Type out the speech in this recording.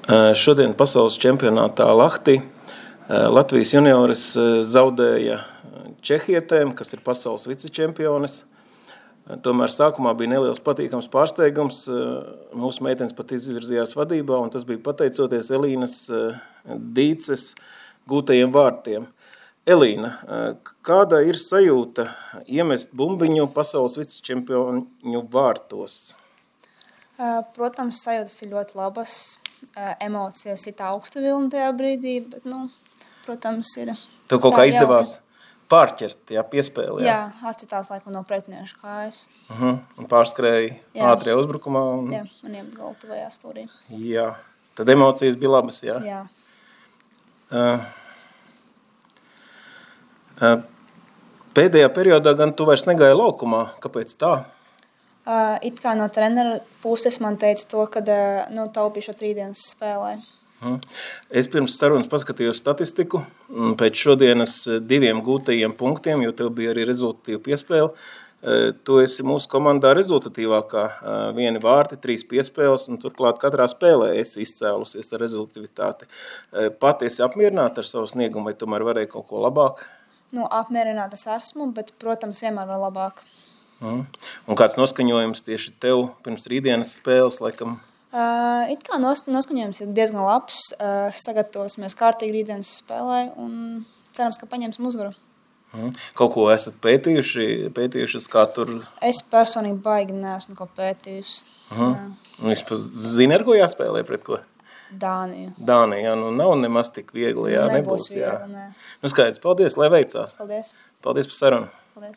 Šodien pasaules čempionātā Lahtī Latvijas junioris zaudēja čehietēm, kas ir pasaules vicečempiones. Tomēr sākumā bija neliels patīkams pārsteigums. Mūsu meitenes pat izvirzījās vadībā, un tas bija pateicoties Elīnas Dīces gūtajiem vārtiem. Elīna, kāda ir sajūta iemest bumbiņu pasaules vicečempioņu vārtos? Protams, sajūtas ir ļoti labas. Emocijas ir augstu vilni tajā brīdī, bet, protams, ir... Tev kaut kā izdevās pārķert, piespēlē? Jā, atcitās laikam no pretiniešu kājas. Un pārskrēja ātrijā uzbrukumā? Jā, un iemet golu tuvajā stūrī. Jā, tad emocijas bija labas, jā? Jā. Pēdējā periodā gan tu vairs negāji laukumā. Kāpēc tā? It kā no trenera puses man teica to, ka taupīšu rītdienas spēlē. Es pirms sarunas paskatījos statistiku pēc šodienas 2 gūtajiem punktiem, jo tev bija arī rezultatīva piespēle. Tu esi mūsu komandā rezultatīvākā. 1 vārti, 3 piespēles, un turklāt katrā spēlē esi izcēlusies ar rezultativitāti. Pati esi apmierināta ar savu sniegumu, vai tomēr varēja kaut ko labāk? Apmierināta es esmu, bet, protams, vienmēr var labāk. Un kāds noskaņojums tieši tev pirms rītdienas spēles, laikam? It kā noskaņojums ir diezgan labs. Sagatavosimies kārtīgi rītdienas spēlē un cerams, ka paņemsim uzvaru. Kaut ko esat pētījušas, kā tur? Es personīgi baigi neesmu ko pētījusi. Vispār zini, ar ko jāspēlē pret ko? Dāniju. Dāniju, nav nemaz tik viegli, Nebūs viegli, nē. Skaidrs, paldies, lai veicās. Paldies. Paldies par sarunu. Paldies.